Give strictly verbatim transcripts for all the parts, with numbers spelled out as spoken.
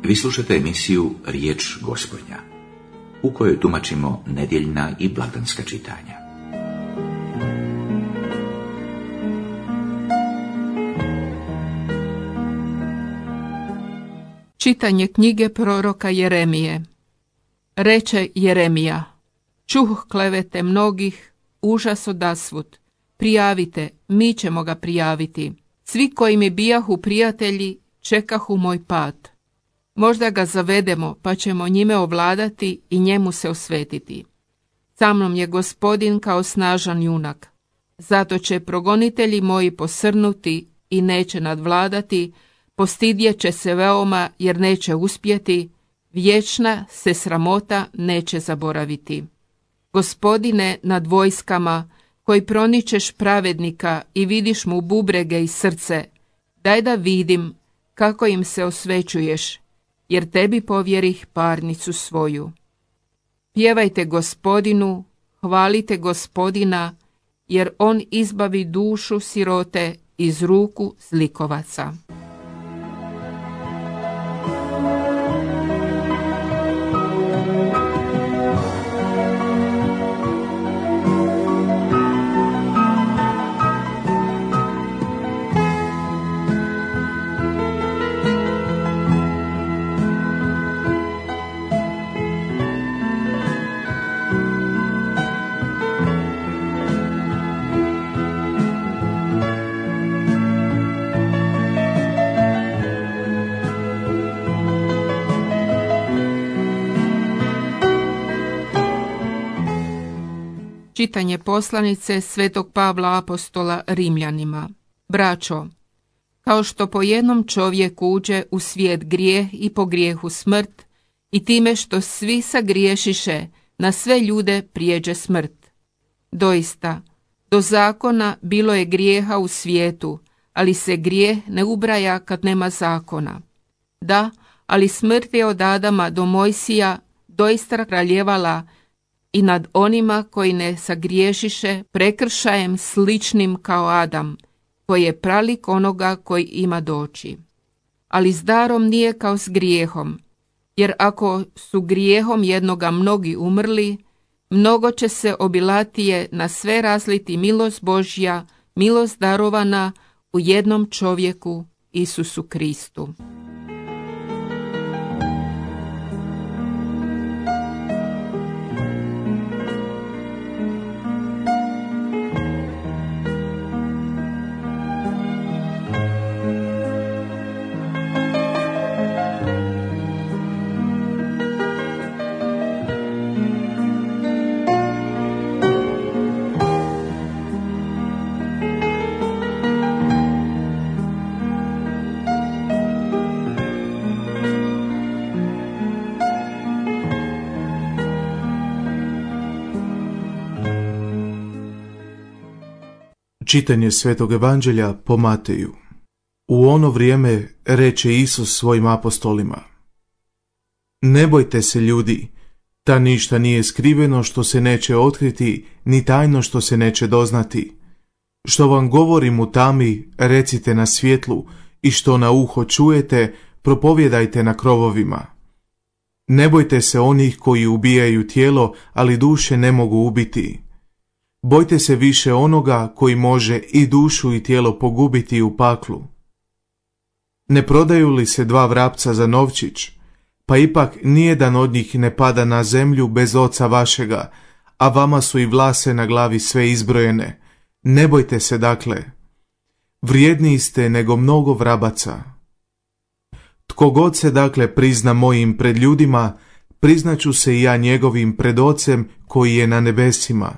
Vi slušate emisiju Riječ Gospodnja, u kojoj tumačimo nedjeljna i blagdanska čitanja. Čitanje knjige proroka Jeremije. Reče Jeremija: čuh klevete mnogih, užas odasvud. Prijavite, mi ćemo ga prijaviti. Svi koji mi bijahu prijatelji, čekahu moj pad. Možda ga zavedemo, pa ćemo njime ovladati i njemu se osvetiti. Sa mnom je Gospodin kao snažan junak. Zato će progonitelji moji posrnuti i neće nadvladati, postidjet će se veoma jer neće uspjeti, vječna se sramota neće zaboraviti. Gospodine nad vojskama, koji proničeš pravednika i vidiš mu bubrege i srce, daj da vidim kako im se osvećuješ, jer tebi povjerih parnicu svoju. Pjevajte Gospodinu, hvalite Gospodina, jer on izbavi dušu sirote iz ruku zlikovaca. Čitanje poslanice Svetog Pavla apostola Rimljanima. Braćo, kao što po jednom čovjeku uđe u svijet grijeh i po grijehu smrt, i time što svi sagriješiše, na sve ljude prijeđe smrt. Doista, do zakona bilo je grijeha u svijetu, ali se grijeh ne ubraja kad nema zakona. Da, ali smrt je od Adama do Mojsija doista kraljevala i nad onima koji ne sagriješiše prekršajem sličnim kao Adam, koji je pralik onoga koji ima doći. Ali s darom nije kao s grijehom, jer ako su grijehom jednoga mnogi umrli, mnogo će se obilatije na sve razliti milost Božja, milost darovana u jednom čovjeku, Isusu Kristu. Čitanje Svetog Evanđelja po Mateju. U ono vrijeme reče Isus svojim apostolima: ne bojte se ljudi, ta ništa nije skriveno što se neće otkriti, ni tajno što se neće doznati. Što vam govorim u tami, recite na svjetlu, i što na uho čujete, propovjedajte na krovovima. Ne bojte se onih koji ubijaju tijelo, ali duše ne mogu ubiti. Bojte se više onoga koji može i dušu i tijelo pogubiti u paklu. Ne prodaju li se dva vrapca za novčić? Pa ipak nijedan od njih ne pada na zemlju bez oca vašega, a vama su i vlase na glavi sve izbrojene. Ne bojte se dakle. Vrijedniji ste nego mnogo vrabaca. Tko god se dakle prizna mojim pred ljudima, priznaću se i ja njegovim pred Ocem koji je na nebesima.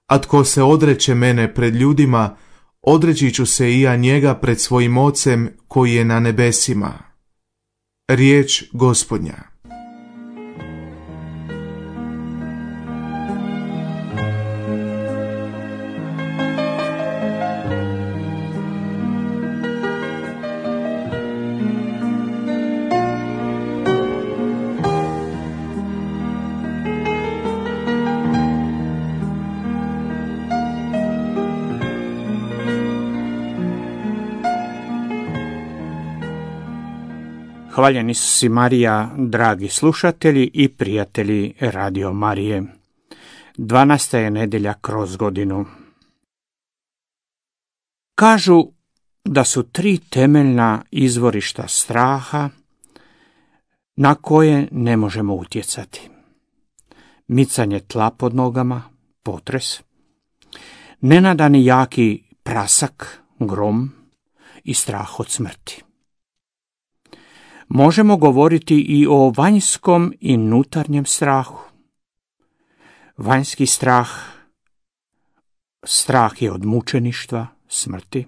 A tko se odreće mene pred ljudima, odreći ću se i ja njega pred svojim Ocem koji je na nebesima. Riječ Gospodnja. Hvaljen Isus i Marija, dragi slušatelji i prijatelji Radio Marije. dvanaesta je nedjelja kroz godinu. Kažu da su tri temeljna izvorišta straha na koje ne možemo utjecati. Micanje tla pod nogama, potres, nenadani jaki prasak, grom i strah od smrti. Možemo govoriti i o vanjskom i unutarnjem strahu. Vanjski strah, strah je od mučeništva, smrti,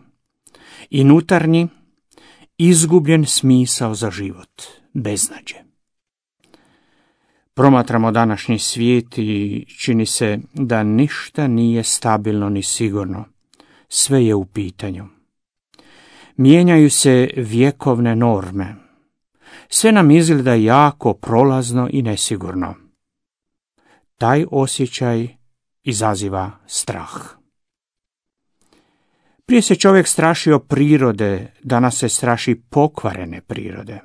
i unutarnji, izgubljen smisao za život, beznađe. Promatramo današnji svijet i čini se da ništa nije stabilno ni sigurno. Sve je u pitanju. Mijenjaju se vjekovne norme. Sve nam izgleda jako prolazno i nesigurno. Taj osjećaj izaziva strah. Prije se čovjek strašio prirode, danas se straši pokvarene prirode.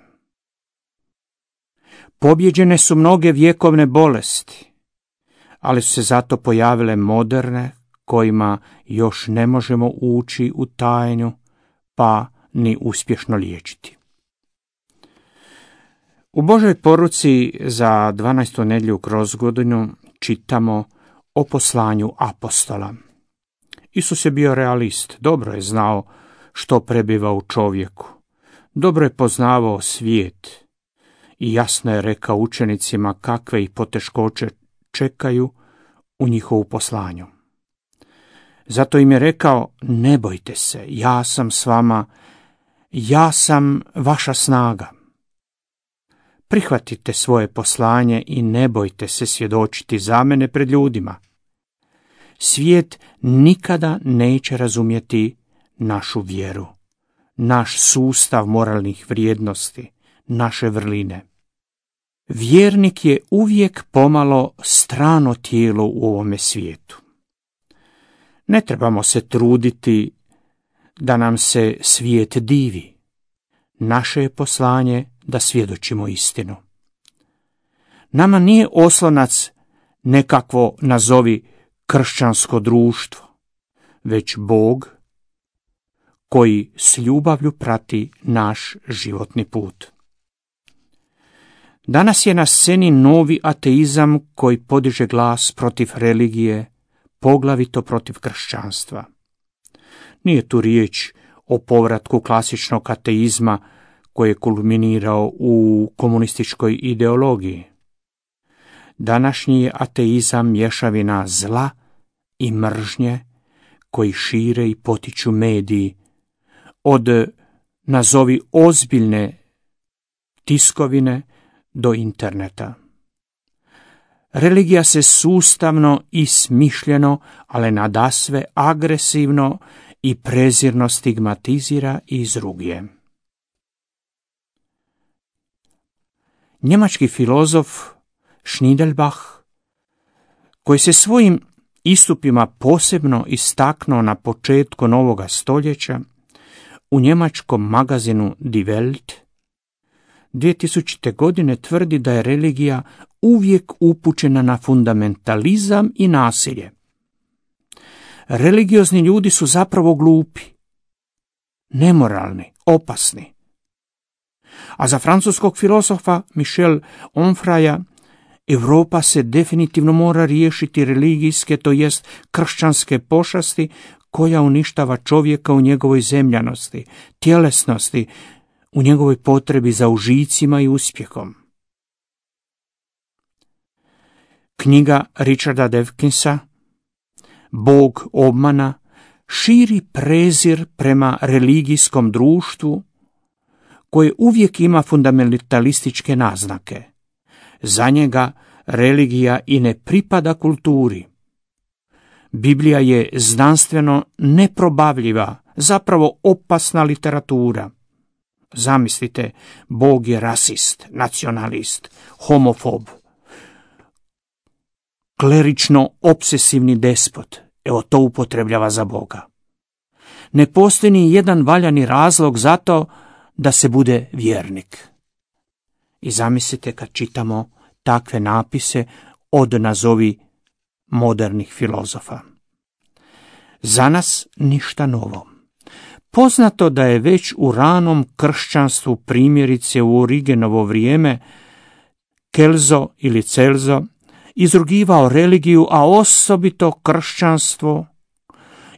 Pobjeđene su mnoge vjekovne bolesti, ali su se zato pojavile moderne, kojima još ne možemo ući u tajnu, pa ni uspješno liječiti. U Božoj poruci za dvanaestu nedjelju kroz godinu čitamo o poslanju apostola. Isus je bio realist, dobro je znao što prebiva u čovjeku, dobro je poznavao svijet i jasno je rekao učenicima kakve ih poteškoće čekaju u njihovu poslanju. Zato im je rekao, ne bojte se, ja sam s vama, ja sam vaša snaga. Prihvatite svoje poslanje i ne bojte se svjedočiti za mene pred ljudima. Svijet nikada neće razumjeti našu vjeru, naš sustav moralnih vrijednosti, naše vrline. Vjernik je uvijek pomalo strano tijelo u ovome svijetu. Ne trebamo se truditi da nam se svijet divi. Naše je poslanje da svjedočimo istinu. Nama nije oslonac nekakvo nazovi kršćansko društvo, već Bog koji s ljubavlju prati naš životni put. Danas je na sceni novi ateizam koji podiže glas protiv religije, poglavito protiv kršćanstva. Nije tu riječ o povratku klasičnog ateizma koji je kulminirao u komunističkoj ideologiji. Današnji je ateizam mješavina zla i mržnje koji šire i potiču mediji, od nazovi ozbiljne tiskovine do interneta. Religija se sustavno i smišljeno, ali nadasve agresivno i prezirno stigmatizira i izruguje. Njemački filozof Schneidelbach, koji se svojim istupima posebno istaknuo na početku novoga stoljeća, u njemačkom magazinu Die Welt dvije tisućite. godine tvrdi da je religija uvijek upućena na fundamentalizam i nasilje. Religiozni ljudi su zapravo glupi, nemoralni, opasni. A za francuskog filozofa Michel Onfraya, Europa se definitivno mora riješiti religijske, to jest kršćanske pošasti koja uništava čovjeka u njegovoj zemljanosti, tjelesnosti, u njegovoj potrebi za užicima i uspjehom. Knjiga Richarda Dawkinsa, Bog obmana, širi prezir prema religijskom društvu koje uvijek ima fundamentalističke naznake. Za njega religija i ne pripada kulturi. Biblija je znanstveno neprobavljiva, zapravo opasna literatura. Zamislite, Bog je rasist, nacionalist, homofob, klerično obsesivni despot. Evo to upotrebljava za Boga. Ne postoji ni jedan valjani razlog za to da se bude vjernik. I zamislite kad čitamo takve napise od nazovi modernih filozofa. Za nas ništa novo. Poznato da je već u ranom kršćanstvu, primjerice u Origenovo vrijeme, Kelzo ili Celzo izrugivao religiju, a osobito kršćanstvo,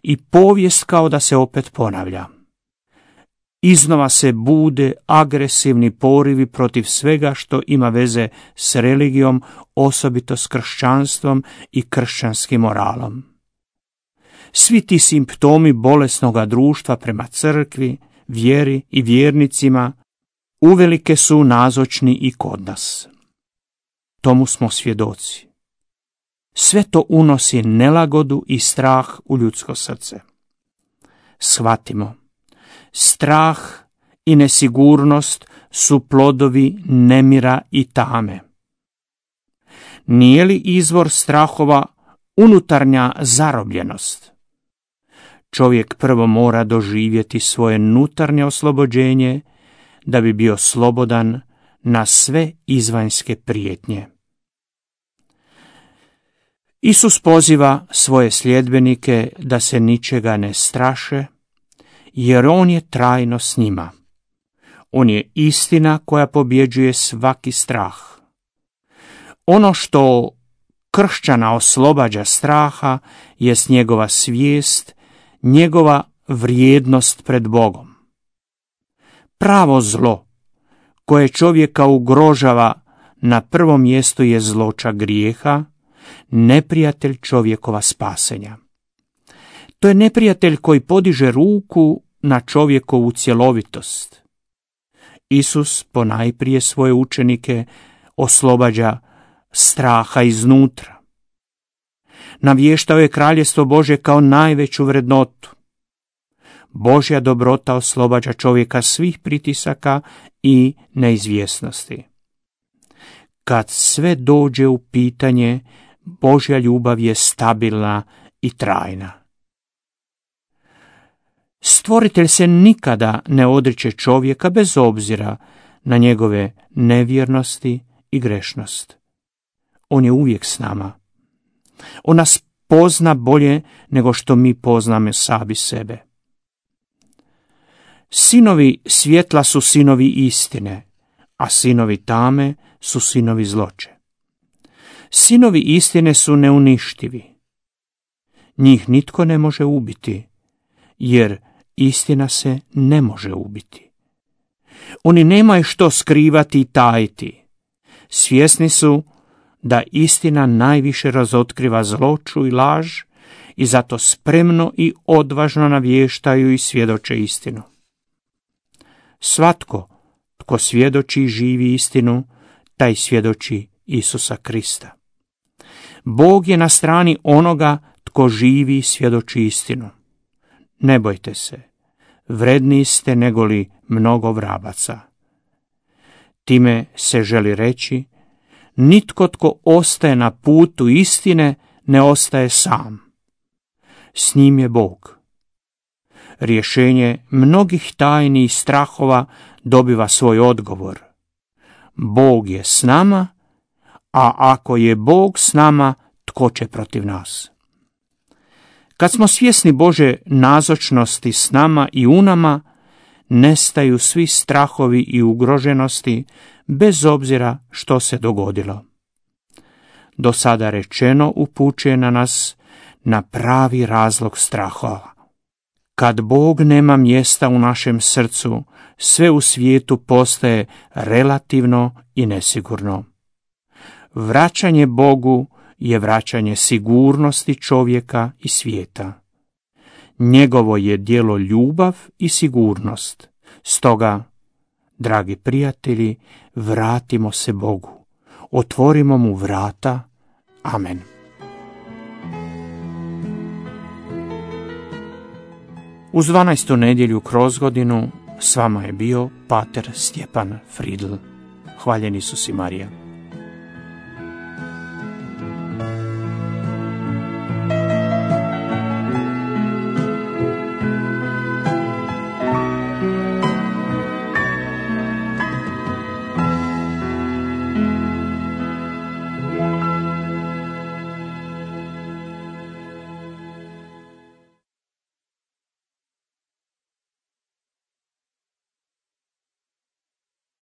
i povijest kao da se opet ponavlja. Iznova se bude agresivni porivi protiv svega što ima veze s religijom, osobito s kršćanstvom i kršćanskim moralom. Svi ti simptomi bolesnoga društva prema crkvi, vjeri i vjernicima uvelike su nazočni i kod nas. Tomu smo svjedoci. Sve to unosi nelagodu i strah u ljudsko srce. Shvatimo, strah i nesigurnost su plodovi nemira i tame. Nije li izvor strahova unutarnja zarobljenost? Čovjek prvo mora doživjeti svoje unutarnje oslobođenje da bi bio slobodan na sve izvanjske prijetnje. Isus poziva svoje sljedbenike da se ničega ne straše, jer on je trajno s njima. On je istina koja pobjeđuje svaki strah. Ono što kršćana oslobađa straha jest njegova svijest, njegova vrijednost pred Bogom. Pravo zlo koje čovjeka ugrožava na prvom mjestu je zloća grijeha, neprijatelj čovjekova spasenja. To je neprijatelj koji podiže ruku na čovjekovu cjelovitost. Isus ponajprije svoje učenike oslobađa straha iznutra. Navještao je kraljestvo Božje kao najveću vrednotu. Božja dobrota oslobađa čovjeka svih pritisaka i neizvjesnosti. Kad sve dođe u pitanje, Božja ljubav je stabilna i trajna. Stvoritelj se nikada ne odriče čovjeka bez obzira na njegove nevjernosti i grešnost. On je uvijek s nama. On nas pozna bolje nego što mi poznamo sami sebe. Sinovi svjetla su sinovi istine, a sinovi tame su sinovi zloće. Sinovi istine su neuništivi. Njih nitko ne može ubiti, jer istina se ne može ubiti. Oni nemaju što skrivati i tajiti. Svjesni su da istina najviše razotkriva zloću i laž i zato spremno i odvažno navještaju i svjedoče istinu. Svatko tko svjedoči i živi istinu, taj svjedoči Isusa Krista. Bog je na strani onoga tko živi i svjedoči istinu. Ne bojte se, vredniji ste negoli mnogo vrabaca. Time se želi reći, nitko tko ostaje na putu istine ne ostaje sam. S njim je Bog. Rješenje mnogih tajni i strahova dobiva svoj odgovor. Bog je s nama, a ako je Bog s nama, tko će protiv nas? Kad smo svjesni Bože nazočnosti s nama i u nama, nestaju svi strahovi i ugroženosti, bez obzira što se dogodilo. Do sada rečeno upućuje na nas na pravi razlog strahova. Kad Bog nema mjesta u našem srcu, sve u svijetu postaje relativno i nesigurno. Vraćanje Bogu je vraćanje sigurnosti čovjeka i svijeta. Njegovo je djelo ljubav i sigurnost. Stoga, dragi prijatelji, vratimo se Bogu. Otvorimo mu vrata. Amen. Uz dvanaestu nedjelju kroz godinu s vama je bio pater Stjepan Fridl. Hvaljen Isus i Marija.